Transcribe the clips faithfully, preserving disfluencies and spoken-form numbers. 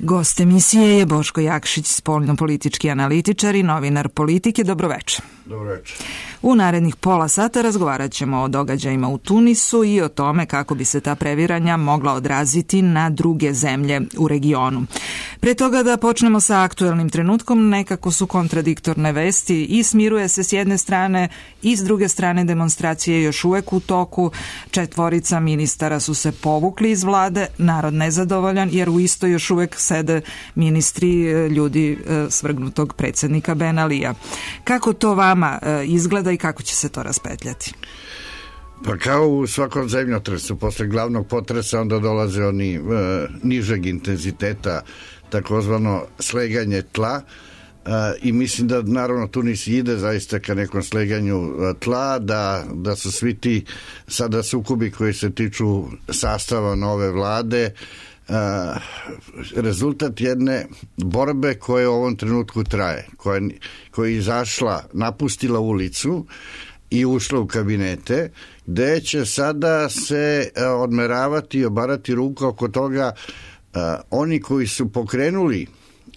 Gost emisije je Boško Jakšić, spoljnopolitički analitičar i novinar Politike. Dobroveče. Dobroveče. U narednih pola sata razgovarat ćemo o događajima u Tunisu i o tome kako bi se ta previranja mogla odraziti na druge zemlje u regionu. Pre toga da počnemo sa aktuelnim trenutkom, nekako su kontradiktorne vesti i smiruje se s jedne strane i s druge strane demonstracije još uvek u toku. Četvorica ministara su se povukli iz vlade, narod nezadovoljan jer u isto još uvek sede ministri, ljudi svrgnutog predsjednika Ben Alija. Kako to vama izgleda i kako će se to raspetljati? Pa kao u svakom zemljotresu, posle glavnog potresa onda dolaze oni e, nižeg intenziteta, takozvano sleganje tla, e, i mislim da naravno Tunis ide zaista ka nekom sleganju tla, da, da su svi ti sada sukobi koji se tiču sastava nove vlade Uh, rezultat jedne borbe koja u ovom trenutku traje, koja, koja je izašla, napustila ulicu i ušla u kabinete, gde će sada se uh, odmeravati i obarati ruka oko toga uh, oni koji su pokrenuli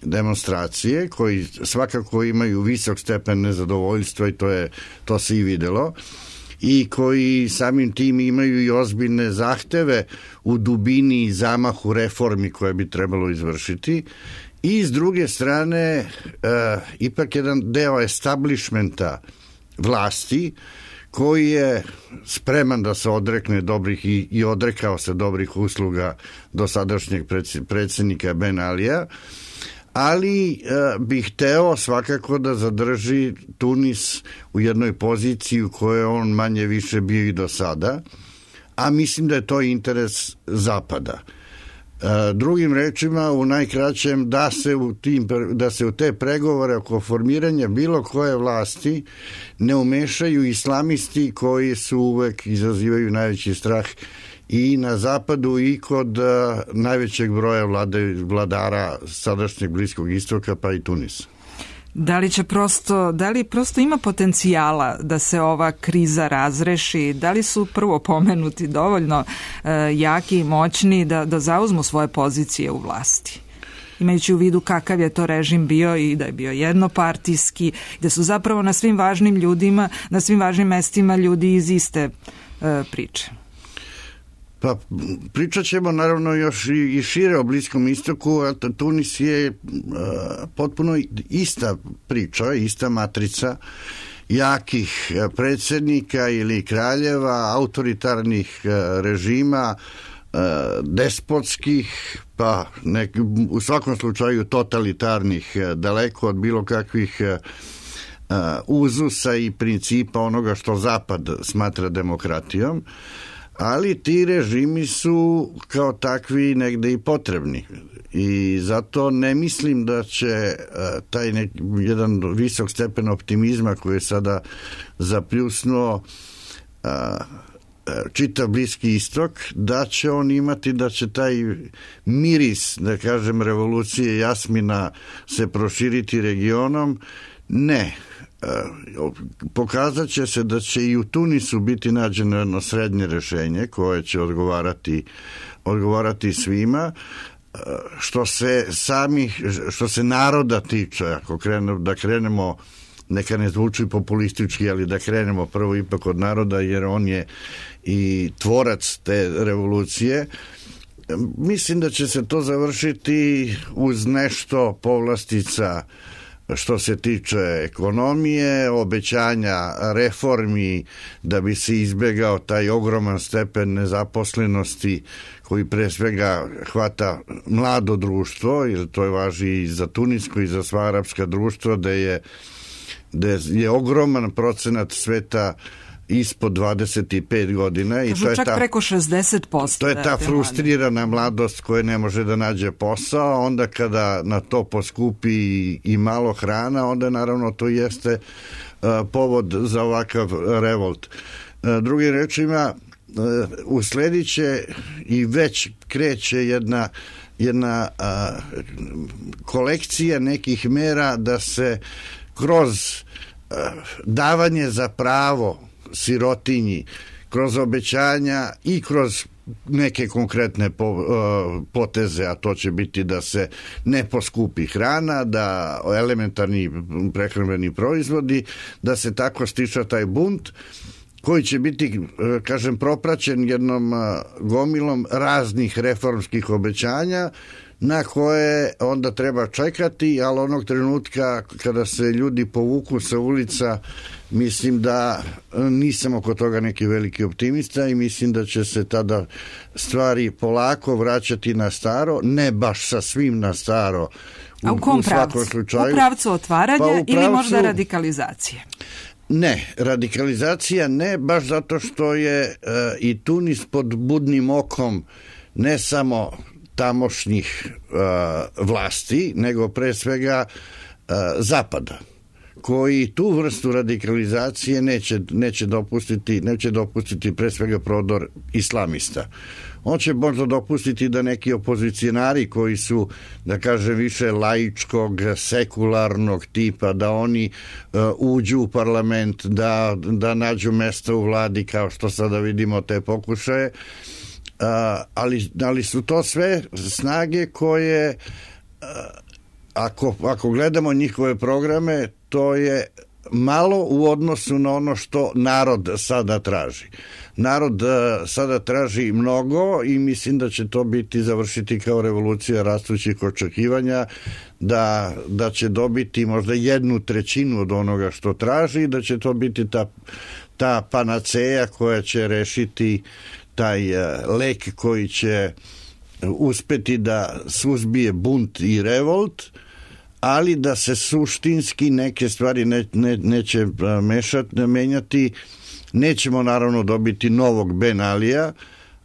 demonstracije, koji svakako imaju visok stepen nezadovoljstva i to, je, to se i videlo, i koji samim tim imaju i ozbiljne zahteve u dubini i zamahu reformi koje bi trebalo izvršiti, i s druge strane e, ipak jedan deo establishmenta vlasti koji je spreman da se odrekne dobrih i, i odrekao se dobrih usluga dosadašnjeg predsjednika Ben Alija, ali e, bih hteo svakako da zadrži Tunis u jednoj poziciji u kojoj on manje više bio i do sada, a mislim da je to interes Zapada. E, drugim rečima, u najkraćem, da se u, tim, da se u te pregovore oko formiranja bilo koje vlasti ne umešaju islamisti koji su uvek izazivaju najveći strah i na zapadu i kod uh, najvećeg broja vlade, vladara sadašnjeg Bliskog istoka pa i Tunisa. Da li će prosto, da li prosto ima potencijala da se ova kriza razreši? Da li su prvo pomenuti dovoljno uh, jaki i moćni da, da zauzmu svoje pozicije u vlasti? Imajući u vidu kakav je to režim bio i da je bio jednopartijski, da su zapravo na svim važnim ljudima, na svim važnim mestima ljudi iz iste uh, priče. Pa pričat ćemo naravno još i šire o Bliskom istoku, a Tunis je uh, potpuno ista priča, ista matrica jakih predsjednika ili kraljeva, autoritarnih uh, režima, uh, despotskih, pa nek, u svakom slučaju totalitarnih, uh, daleko od bilo kakvih uh, uh, uzusa i principa onoga što Zapad smatra demokratijom. Ali ti režimi su kao takvi negde i potrebni i zato ne mislim da će uh, taj nek, jedan visok stepen optimizma koji je sada zapljusnuo uh, čitav Bliski istok, da će on imati, da će taj miris, da kažem, revolucije jasmina se proširiti regionom. Ne. Pokazat će se da će i u Tunisu biti nađeno jedno srednje rešenje koje će odgovarati, odgovarati svima. Što se samih, što se naroda tiče, ako krenemo, da krenemo, neka ne zvuči populistički, ali da krenemo prvo ipak od naroda, jer on je i tvorac te revolucije. Mislim da će se to završiti uz nešto povlastica što se tiče ekonomije, obećanja reformi da bi se izbegao taj ogroman stepen nezaposlenosti koji pre svega hvata mlado društvo, jer to je važi i za tunisko i za sva arapska društva, da je, da je ogroman procenat sveta ispod dvadeset pet godina. Kažu, i to je čak ta, preko šezdeset posto. To je ta frustrirana mladost koja ne može da nađe posao, onda kada na to poskupi i, i malo hrana, onda naravno to jeste uh, povod za ovakav revolt. Uh, drugim rečima, uh, usledit će i već kreće jedna, jedna uh, kolekcija nekih mera da se kroz uh, davanje za pravo sirotinji, kroz obećanja i kroz neke konkretne poteze, a to će biti da se ne poskupi hrana, da elementarni prehrambeni proizvodi, da se tako stiša taj bunt koji će biti, kažem, propraćen jednom gomilom raznih reformskih obećanja na koje onda treba čekati, ali onog trenutka kada se ljudi povuku sa ulica, mislim da nisam oko toga neki veliki optimista i mislim da će se tada stvari polako vraćati na staro, ne baš sa svim na staro. A u kom pravcu? U pravcu otvaranja pa u pravcu... ili možda radikalizacije? Ne, radikalizacija ne, baš zato što je e, i Tunis pod budnim okom ne samo tamošnjih uh, vlasti, nego pre svega uh, Zapada, koji tu vrstu radikalizacije neće, neće dopustiti, neće dopustiti pre svega prodor islamista. On će možda dopustiti da neki opozicionari koji su, da kažem, više laičkog, sekularnog tipa, da oni uh, uđu u parlament, da, da nađu mesto u vladi, kao što sada vidimo te pokušaje. Uh, ali, ali su to sve snage koje uh, ako, ako gledamo njihove programe, to je malo u odnosu na ono što narod sada traži. Narod uh, sada traži mnogo i mislim da će to biti završiti kao revolucija rastućih očekivanja, da, da će dobiti možda jednu trećinu od onoga što traži i da će to biti ta, ta panaceja koja će rešiti taj lek koji će uspeti da suzbije bunt i revolt, ali da se suštinski neke stvari ne, ne, neće mešati, menjati. Nećemo naravno dobiti novog Ben Alija,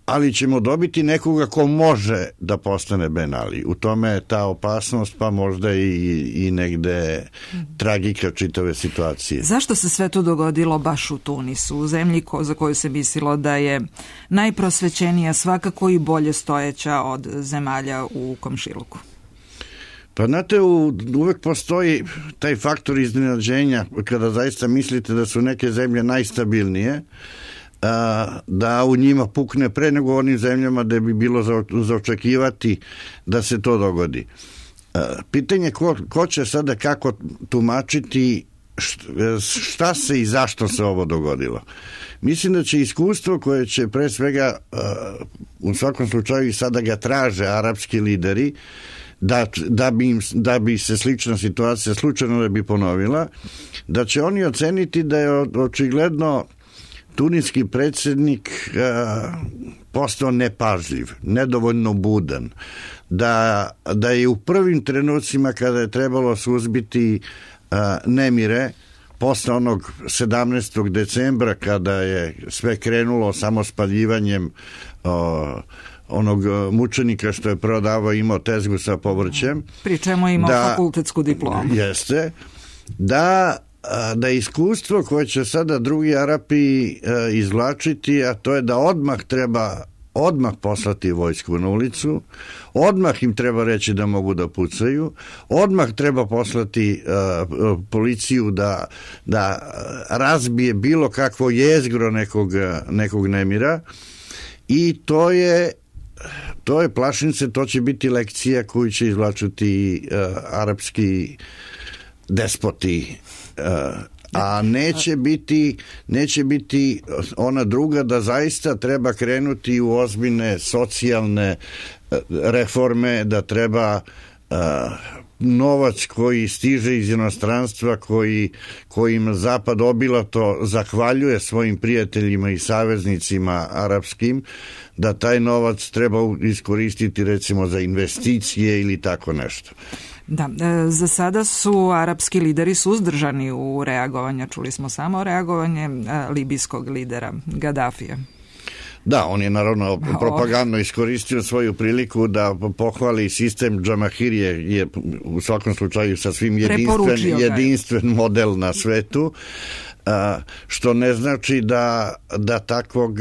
ali ćemo dobiti nekoga ko može da postane Ben Ali. U tome je ta opasnost, pa možda i, i negde tragika čitave situacije. Zašto se sve to dogodilo baš u Tunisu, u zemlji ko, za koju se mislilo da je najprosvećenija, svakako i bolje stojeća od zemalja u komšiluku? Pa znate, u, uvek postoji taj faktor iznenađenja kada zaista mislite da su neke zemlje najstabilnije, da u njima pukne pre nego u onim zemljama da bi bilo za, za očekivati da se to dogodi. Pitanje ko, ko će sada kako tumačiti šta se i zašto se ovo dogodilo. Mislim da će iskustvo koje će pre svega u svakom slučaju i sada ga traže arapski lideri, da, da, bi im, da bi se slična situacija slučajno da bi ponovila, da će oni oceniti da je očigledno tuniski predsjednik a, postao nepažljiv, nedovoljno budan, da, da je u prvim trenucima kada je trebalo suzbiti a, nemire, posle onog sedamnaestog decembra kada je sve krenulo samo spaljivanjem a, onog mučenika što je prodavao, imao tezgu sa povrćem. Pri čemu je imao da, fakultetsku diplomu. Jeste, da da iskustvo koje će sada drugi Arapi e, izvlačiti, a to je da odmah treba odmah poslati vojsku na ulicu, odmah im treba reći da mogu da pucaju, odmah treba poslati e, policiju da, da razbije bilo kakvo jezgro nekog, nekog nemira i to je to je plašim se, to će biti lekcija koju će izvlačiti e, arapski despoti, a neće biti neće biti ona druga, da zaista treba krenuti u ozbiljne socijalne reforme, da treba novac koji stiže iz inostranstva, koji, kojim Zapad obilato zahvaljuje svojim prijateljima i saveznicima arapskim, da taj novac treba iskoristiti recimo za investicije ili tako nešto. Da, za sada su arapski lideri suzdržani u reagovanju. Čuli smo samo reagovanje libijskog lidera Gadafija. Da, on je naravno propagandno iskoristio svoju priliku da pohvali sistem Džamahirije, je u svakom slučaju sasvim jedinstven, jedinstven model na svetu, što ne znači da, da takvog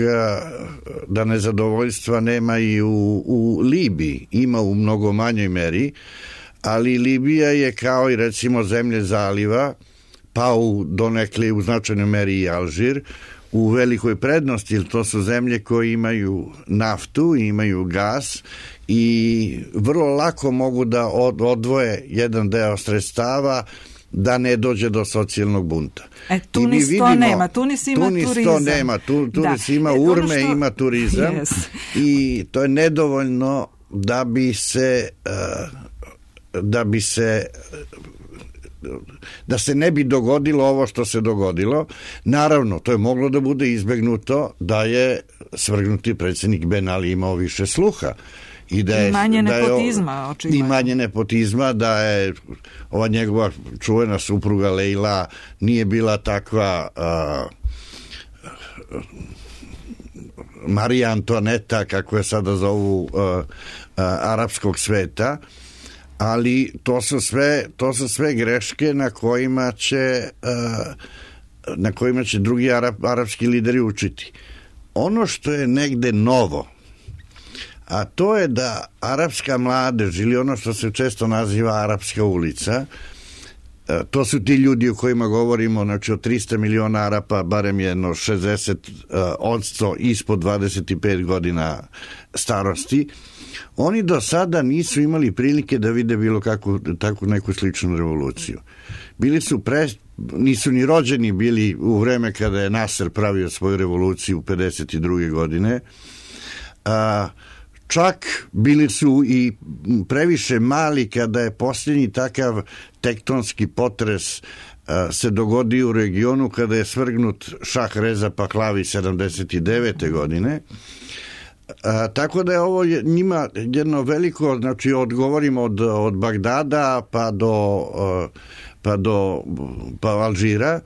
da nezadovoljstva nema i u, u Libiji, ima u mnogo manjoj meri, ali Libija je kao i recimo zemlje zaliva, pa u donekle u značajnoj meri i Alžir, u velikoj prednosti, jer to su zemlje koje imaju naftu, imaju gas i vrlo lako mogu da odvoje jedan deo sredstava da ne dođe do socijalnog bunta. E, Tunis vidimo, to nema, Tunis ima Tunis turizam. To nema, tu, Tunis da. ima e, urme, što... ima turizam yes. i to je nedovoljno da bi se da bi se da se ne bi dogodilo ovo što se dogodilo. Naravno, to je moglo da bude izbegnuto da je svrgnuti predsjednik Ben Ali imao više sluha. I, da je, I manje da je, nepotizma, očigledno. I manje nepotizma, da je ova njegova čuvena supruga Leila nije bila takva uh, Marija Antoaneta, kako je sada zovu, uh, uh, arapskog sveta, ali to su sve, to su sve greške na kojima će uh, na kojima će drugi arap, arapski lideri učiti. Ono što je negde novo, a to je da arapska mladež ili ono što se često naziva arapska ulica, to su ti ljudi o kojima govorimo, znači od trista miliona Arapa barem jedno šezdeset odsto ispod dvadeset pet godina starosti, oni do sada nisu imali prilike da vide bilo kakvu takvu neku sličnu revoluciju. Bili su pre, nisu ni rođeni bili u vreme kada je Nasser pravio svoju revoluciju u pedeset druge godine, a čak bili su i previše mali kada je posljednji takav tektonski potres a, se dogodio u regionu kada je svrgnut Šah Reza Pahlavi sedamdeset devete godine. A, tako da je ovo njima jedno veliko, znači odgovorimo od, od Bagdada pa do, a, pa do pa Alžira,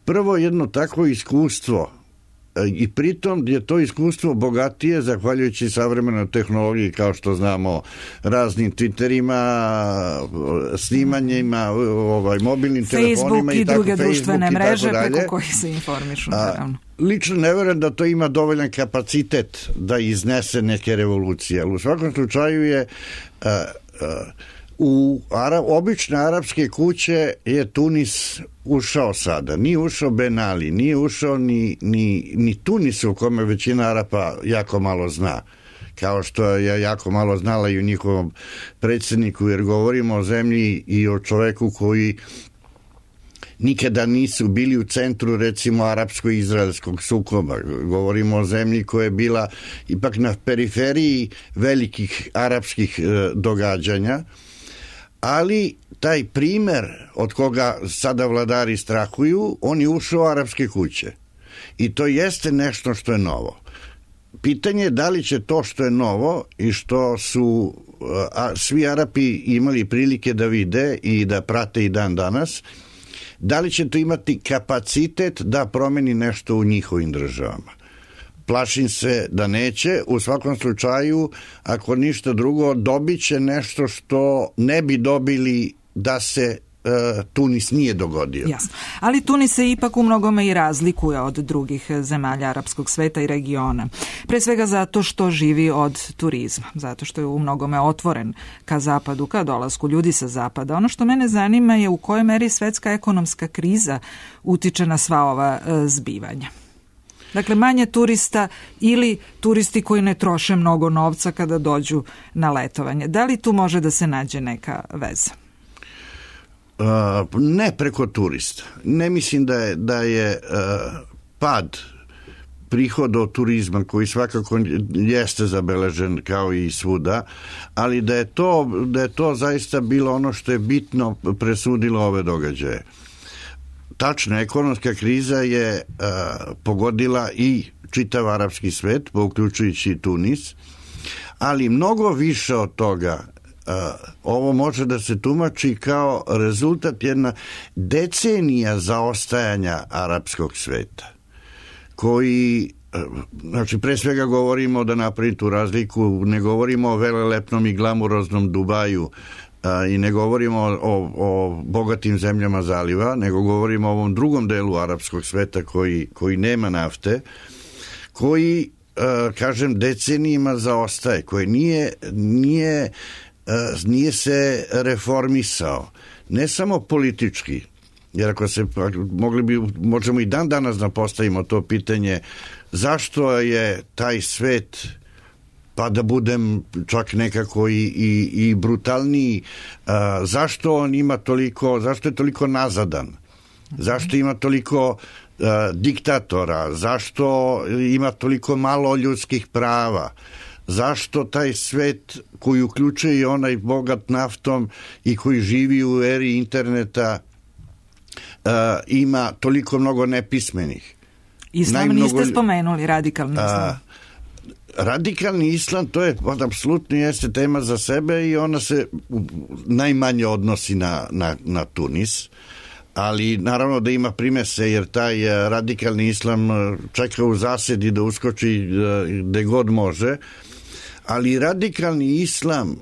prvo jedno takvo iskustvo. I pritom je to iskustvo bogatije zahvaljujući savremenoj tehnologiji, kao što znamo, raznim Twitterima, snimanjima, ovaj, mobilnim Facebook telefonima i, i tako, druge Facebook društvene mreže preko dalje. kojih se informišu, naravno. A, lično ne verujem da to ima dovoljan kapacitet da iznese neke revolucije, ali u svakom slučaju je a, a, u Ara, obične arapske kuće je Tunis ušao sada. Nije ušao Ben Ali, nije ušao ni, ni, ni Tunis u kome većina Arapa jako malo zna. Kao što je jako malo znala i u njihovom predsjedniku, jer govorimo o zemlji i o čoveku koji nikada nisu bili u centru, recimo, arapsko-izraelskog sukoba. Govorimo o zemlji koja je bila ipak na periferiji velikih arapskih e, događanja, ali taj primer od koga sada vladari strahuju, on je ušao u arapske kuće. I to jeste nešto što je novo. Pitanje je da li će to što je novo i što su a, svi Arapi imali prilike da vide i da prate i dan danas, da li će to imati kapacitet da promeni nešto u njihovim državama. Plašim se da neće. U svakom slučaju, ako ništa drugo, dobit će nešto što ne bi dobili da se uh, Tunis nije dogodio. Jasno. Ali Tunis se ipak u mnogome i razlikuje od drugih zemalja arapskog sveta i regiona. Pre svega zato što živi od turizma, zato što je u mnogome otvoren ka zapadu, ka dolasku ljudi sa zapada. Ono što mene zanima je u kojoj meri svetska ekonomska kriza utiče na sva ova uh, zbivanja. Dakle, manje turista ili turisti koji ne troše mnogo novca kada dođu na letovanje. Da li tu može da se nađe neka veza? Uh, ne preko turista. Ne mislim da je, da je uh, pad prihoda od turizma, koji svakako jeste zabeležen kao i svuda, ali da je to, da je to zaista bilo ono što je bitno presudilo ove događaje. Tačno, ekonomska kriza je uh, pogodila i čitav arapski svet, uključujući i Tunis, ali mnogo više od toga uh, ovo može da se tumači kao rezultat jedna decenija zaostajanja arapskog sveta, koji, uh, znači pre svega govorimo da napravim tu razliku, ne govorimo o velelepnom i glamuroznom Dubaju, A, i ne govorimo o, o, o bogatim zemljama zaliva, nego govorimo o ovom drugom delu arapskog sveta koji, koji nema nafte, koji, a, kažem, decenijima zaostaje, koji nije, nije, a, nije se reformisao, ne samo politički, jer ako se mogli bi, možemo i dan danas da postavimo to pitanje, zašto je taj svet, pa da budem čak nekako i, i, i brutalniji, a, zašto on ima toliko, zašto je toliko nazadan, zašto ima toliko a, diktatora, zašto ima toliko malo ljudskih prava, zašto taj svet koji uključuje i onaj bogat naftom i koji živi u eri interneta uh, ima toliko mnogo nepismenih. Islam Najmnogo... niste spomenuli, radikalni islam. Uh, radikalni islam, to je apsolutno jeste tema za sebe i ona se najmanje odnosi na, na, na Tunis, ali naravno da ima primese, jer taj radikalni islam čeka u zasedi da uskoči gde god može, ali radikalni islam,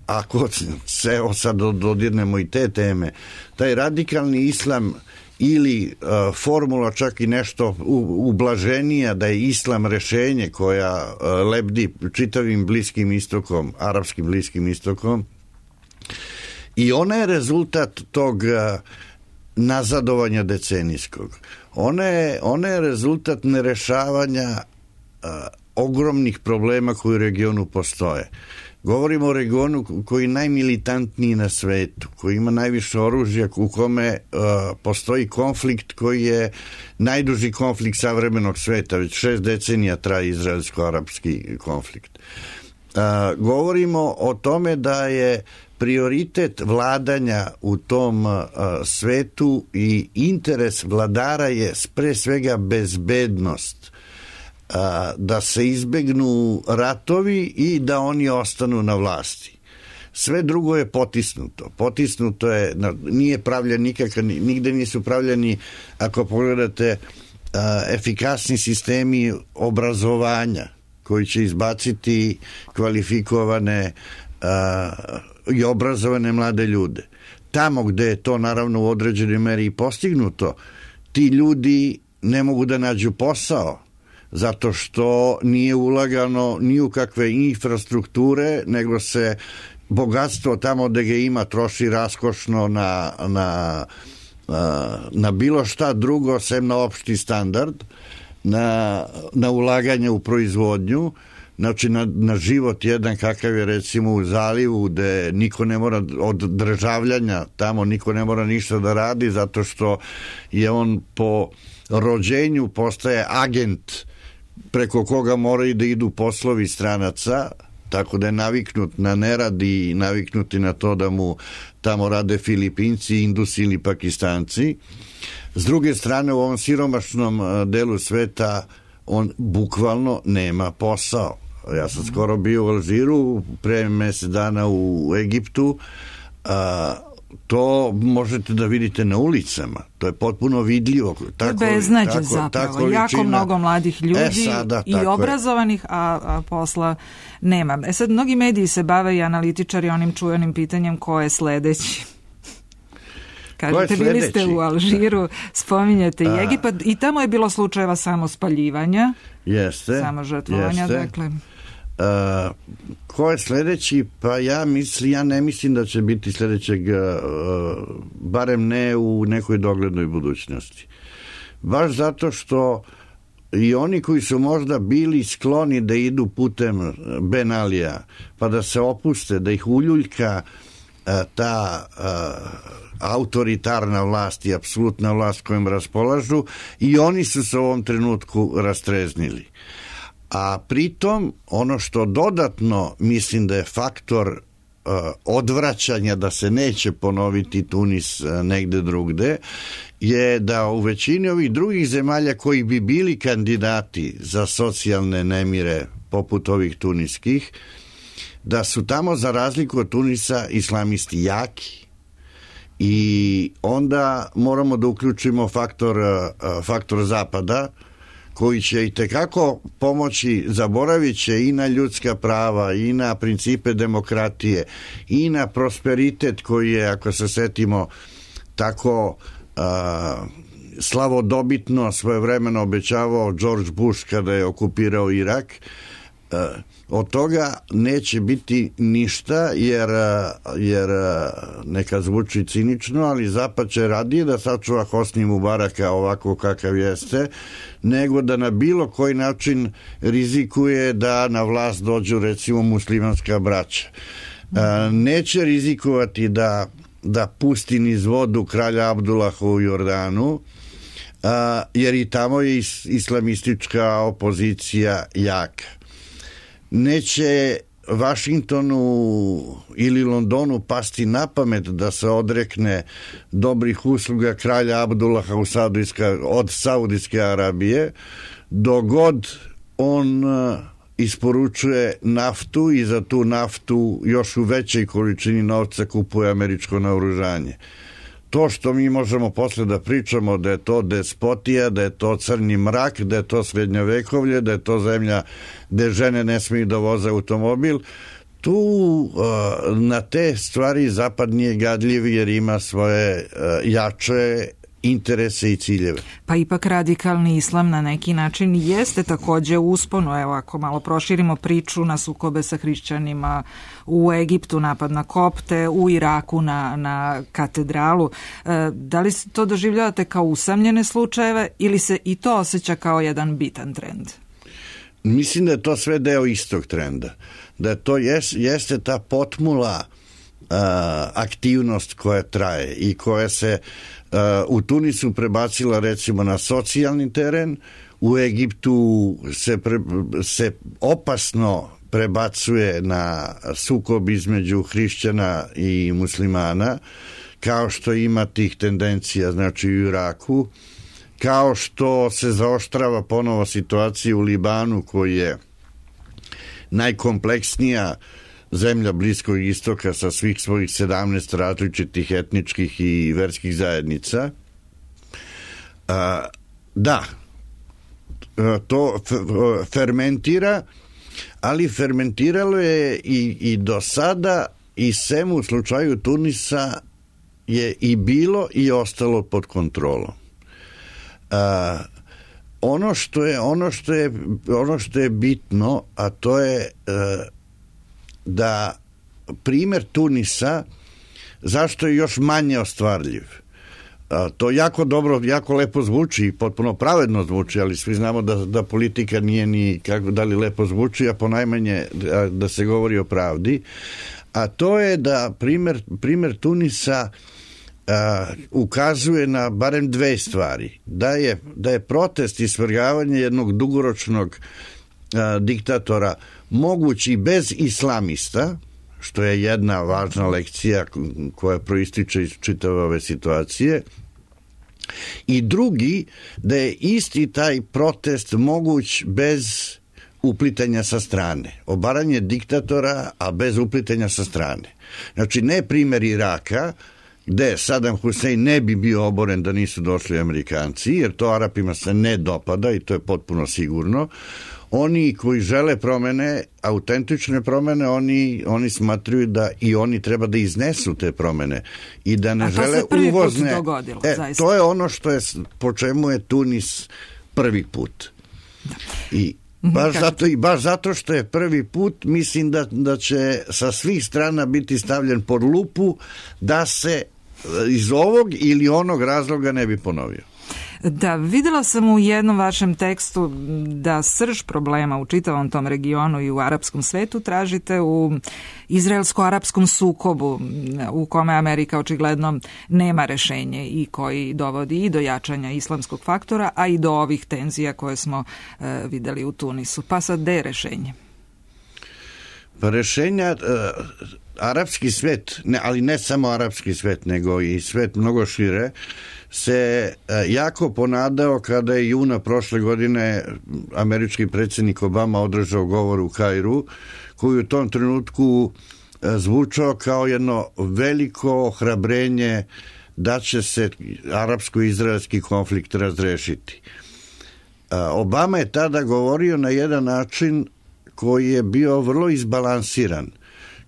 ako se sad dodirnemo i te teme, taj radikalni islam ili uh, formula čak i nešto ublaženija da je islam rešenje koja uh, lebdi čitavim Bliskim istokom, arapskim Bliskim istokom, i ona je rezultat tog uh, nazadovanja decenijskog. Ona je, ona je rezultat nerešavanja uh, ogromnih problema koji u regionu postoje. Govorimo o regionu koji je najmilitantniji na svetu, koji ima najviše oružja, u kome uh, postoji konflikt koji je najduži konflikt savremenog sveta, već šest decenija traje izraelsko-arapski konflikt. Uh, govorimo o tome da je prioritet vladanja u tom uh, svetu i interes vladara je pre svega bezbednost, da se izbegnu ratovi i da oni ostanu na vlasti. Sve drugo je potisnuto. Potisnuto je, nije pravljen nikakav, nigde nisu pravljeni, ako pogledate, efikasni sistemi obrazovanja koji će izbaciti kvalifikovane i obrazovane mlade ljude. Tamo gde je to naravno u određenoj meri i postignuto, ti ljudi ne mogu da nađu posao, zato što nije ulagano ni u kakve infrastrukture, nego se bogatstvo tamo gde ga ima troši raskošno na, na, na bilo šta drugo, sem na opšti standard, na, na ulaganje u proizvodnju, znači na, na život jedan kakav je recimo u zalivu, gde niko ne mora od državljanja, tamo niko ne mora ništa da radi, zato što je on po rođenju postaje agent preko koga moraju da idu poslovi stranaca, tako da je naviknut na nerad i naviknuti na to da mu tamo rade Filipinci, Indusi ili Pakistanci. S druge strane, u ovom siromašnom delu sveta on bukvalno nema posao. Ja sam skoro bio u Alžiru, pre mesec dana u Egiptu, a, to možete da vidite na ulicama. To je potpuno vidljivo. Tako, beznađe tako, zapravo. Tako jako mnogo mladih ljudi e, sada, i obrazovanih, a, a posla nema. E sad, mnogi mediji se bave i analitičari onim čuvenim pitanjem ko je sledeći. Kažete, bili ste u Alžiru, spominjete i Egipat i tamo je bilo slučajeva samo spaljivanja, jeste, samo žrtvovanja, jeste. Dakle... Uh, ko je sledeći? Pa ja mislim, ja ne mislim da će biti sledećeg, uh, barem ne u nekoj doglednoj budućnosti. Baš zato što i oni koji su možda bili skloni da idu putem Ben Alija, pa da se opuste, da ih uljuljka uh, ta uh, autoritarna vlast i apsolutna vlast kojom raspolažu, i oni su se u ovom trenutku rastreznili. A pritom ono što dodatno mislim da je faktor uh, odvraćanja da se neće ponoviti Tunis uh, negde drugde, je da u većini ovih drugih zemalja koji bi bili kandidati za socijalne nemire poput ovih tuniskih, da su tamo za razliku od Tunisa islamisti jaki, i onda moramo da uključimo faktor, uh, faktor zapada, koji će i tekako pomoći, zaboravit će i na ljudska prava, i na principe demokratije, i na prosperitet koji je, ako se setimo, tako a, slavodobitno svojevremeno obećavao George Bush kada je okupirao Irak. od toga neće biti ništa, jer, jer neka zvuči cinično, ali Zapad će radije da sačuva Hosni Mubaraka ovako kakav jeste, nego da na bilo koji način rizikuje da na vlast dođu recimo muslimanska braća. Neće rizikovati da, da pusti niz vodu kralja Abdullaha u Jordanu, jer i tamo je islamistička opozicija jaka. Neće Vašingtonu ili Londonu pasti na pamet da se odrekne dobrih usluga kralja Abdullaha u Saudijska, od Saudijske Arabije, dogod on isporučuje naftu i za tu naftu još u većoj količini novca kupuje američko naoružanje. To što mi možemo posle da pričamo da je to despotija, da je to crni mrak, da je to srednjovekovlje, da je to zemlja gde žene ne smiju da voze automobil, tu na te stvari Zapad nije gadljiv jer ima svoje jače interese i ciljeve. Pa ipak radikalni islam na neki način jeste takođe u usponu. Evo, ako malo proširimo priču na sukobe sa hrišćanima, u Egiptu napad na kopte, u Iraku na, na katedralu. E, da li to doživljavate kao usamljene slučajeve ili se i to osjeća kao jedan bitan trend? Mislim da je to sve deo istog trenda. Da to jes, jeste ta potmula a, aktivnost koja traje i koja se Uh, u Tunisu prebacila recimo na socijalni teren, u Egiptu se, pre, se opasno prebacuje na sukob između hrišćana i muslimana, kao što ima tih tendencija znači u Iraku, kao što se zaoštrava ponovo situacija u Libanu koji je najkompleksnija zemlja Bliskog istoka sa svih svojih sedamnaest različitih etničkih i verskih zajednica. A, da, to fermentira, ali fermentiralo je i, i do sada i sem u slučaju Tunisa je i bilo i ostalo pod kontrolom. A, ono što je, ono što je, ono što je bitno, a to je a, da primer Tunisa, zašto je još manje ostvarljiv? A, to jako dobro, jako lepo zvuči i potpuno pravedno zvuči, ali svi znamo da, da politika nije ni kako da li lepo zvuči, a ponajmanje da, da se govori o pravdi. A to je da primer, primer Tunisa a, ukazuje na barem dve stvari. Da je, da je protest i svrgavanje jednog dugoročnog a, diktatora mogući bez islamista, što je jedna važna lekcija koja proističe iz čitave ove situacije, i drugi, da je isti taj protest moguć bez uplitanja sa strane. Obaranje diktatora, a bez uplitanja sa strane. Znači, ne primjer Iraka, gde Saddam Hussein ne bi bio oboren da nisu došli Amerikanci, jer to Arapima se ne dopada i to je potpuno sigurno. Oni koji žele promene, autentične promene, oni, oni smatruju da i oni treba da iznesu te promene i da ne žele uvozne. Dogodilo, e, to je ono što je, po čemu je Tunis prvi put. Da. I baš zato, i baš zato što je prvi put, mislim da, da će sa svih strana biti stavljen pod lupu da se iz ovog ili onog razloga ne bi ponovio. Da, videla sam u jednom vašem tekstu da srž problema u čitavom tom regionu i u arapskom svetu tražite u izraelsko-arapskom sukobu u kome Amerika očigledno nema rešenje i koji dovodi i do jačanja islamskog faktora, a i do ovih tenzija koje smo e, videli u Tunisu. Pa sad, gde je rešenje? Pa rešenja, e, arapski svet, ne, ali ne samo arapski svet, nego i svet mnogo šire, se jako ponadao kada je juna prošle godine američki predsjednik Obama održao govor u Kairu, koji u tom trenutku zvučao kao jedno veliko ohrabrenje da će se arapsko-izraelski konflikt razrešiti. Obama je tada govorio na jedan način koji je bio vrlo izbalansiran,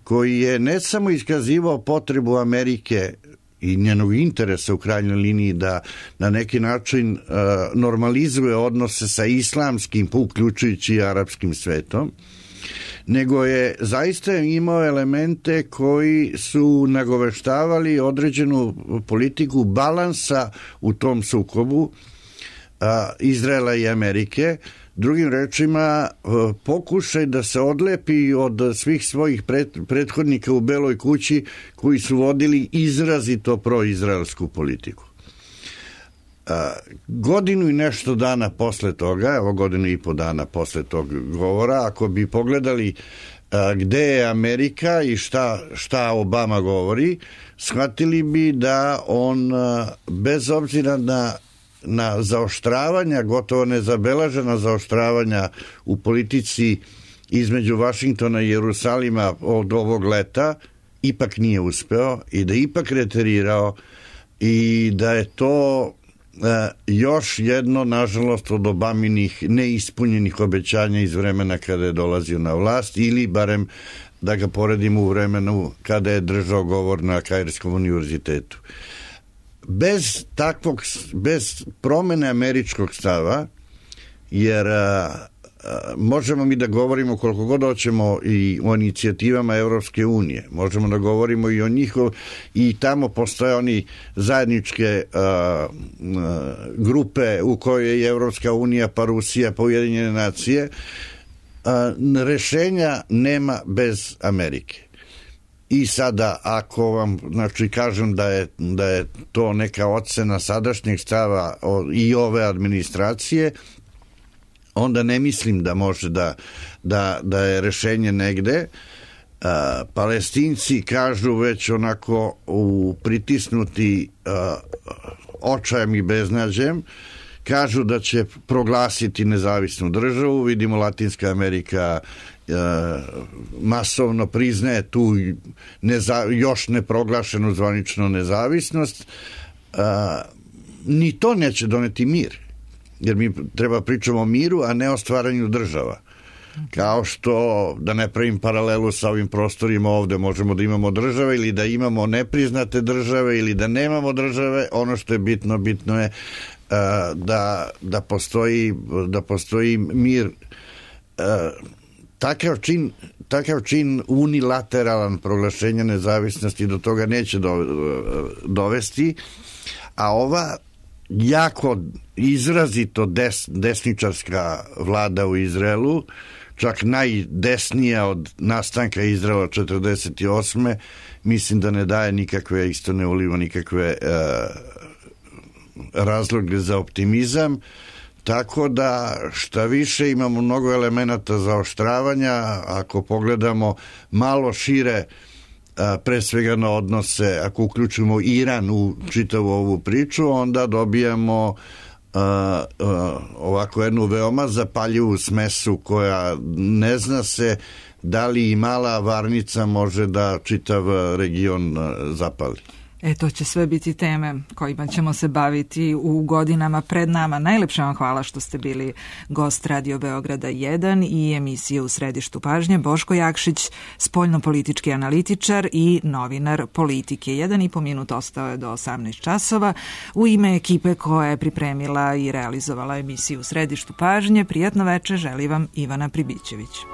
koji je ne samo iskazivao potrebu Amerike i njenog interesa u krajnjoj liniji da na neki način uh, normalizuje odnose sa islamskim, uključujući i arapskim svetom, nego je zaista imao elemente koji su nagoveštavali određenu politiku balansa u tom sukobu a, Izraela i Amerike. Drugim rečima, pokušaj da se odlepi od svih svojih pret, prethodnika u Beloj kući koji su vodili izrazito proizraelsku politiku. A, godinu i nešto dana posle toga, evo godinu i po dana posle tog govora, ako bi pogledali a, gde je Amerika i šta, šta Obama govori, shvatili bi da on a, bez obzira na na zaoštravanja, gotovo nezabeležena zaoštravanja u politici između Vašingtona i Jerusalima od ovog leta, ipak nije uspeo i da ipak reterirao i da je to e, još jedno, nažalost, od Obaminih neispunjenih obećanja iz vremena kada je dolazio na vlast, ili barem da ga poredimo u vremenu kada je držao govor na Kairskom univerzitetu. Bez takvog, bez promene američkog stava, jer a, a, možemo mi da govorimo koliko god hoćemo i o inicijativama Evropske unije, možemo da govorimo i o njihov, i tamo postoje oni zajedničke a, a, grupe u kojoj je Evropska unija, pa Rusija, pa Ujedinjene nacije, a, rešenja nema bez Amerike. I sada, ako vam, znači, kažem da je, da je to neka ocena sadašnjeg stava i ove administracije, onda ne mislim da može da, da, da je rešenje negde. A, Palestinci kažu već onako u pritisnuti a, očajem i beznađem, kažu da će proglasiti nezavisnu državu. Vidimo, Latinska Amerika masovno priznaje tu neza, još neproglašenu zvaničnu nezavisnost. A, ni to neće doneti mir, jer mi treba pričamo o miru, a ne o stvaranju država. Kao što, da ne pravim paralelu sa ovim prostorima ovde, možemo da imamo države ili da imamo nepriznate države ili da nemamo države. Ono što je bitno, bitno je a, da, da, postoji, da postoji mir. A, Takav čin, takav čin unilateralan proglašenja nezavisnosti do toga neće do, dovesti, a ova jako izrazito des, desničarska vlada u Izraelu, čak najdesnija od nastanka Izraela četrdeset osme, mislim da ne daje nikakve, isto ne uliva nikakve uh, razloge za optimizam. Tako da, šta više, imamo mnogo elemenata zaoštravanja. Ako pogledamo malo šire, a, pre svega na odnose, ako uključimo Iran u čitavu ovu priču, onda dobijamo a, a, ovako jednu veoma zapaljivu smesu koja ne zna se da li i mala varnica može da čitav region zapali. E, to će sve biti teme kojima ćemo se baviti u godinama pred nama. Najlepše vam hvala što ste bili gost Radio Beograda jedan i emisije U središtu pažnje. Boško Jakšić, spoljnopolitički analitičar i novinar Politike. Jedan i po minut ostao je do osamnaest časova. U ime ekipe koja je pripremila i realizovala emisiju U središtu pažnje, prijatno veče želi vam Ivana Pribićević.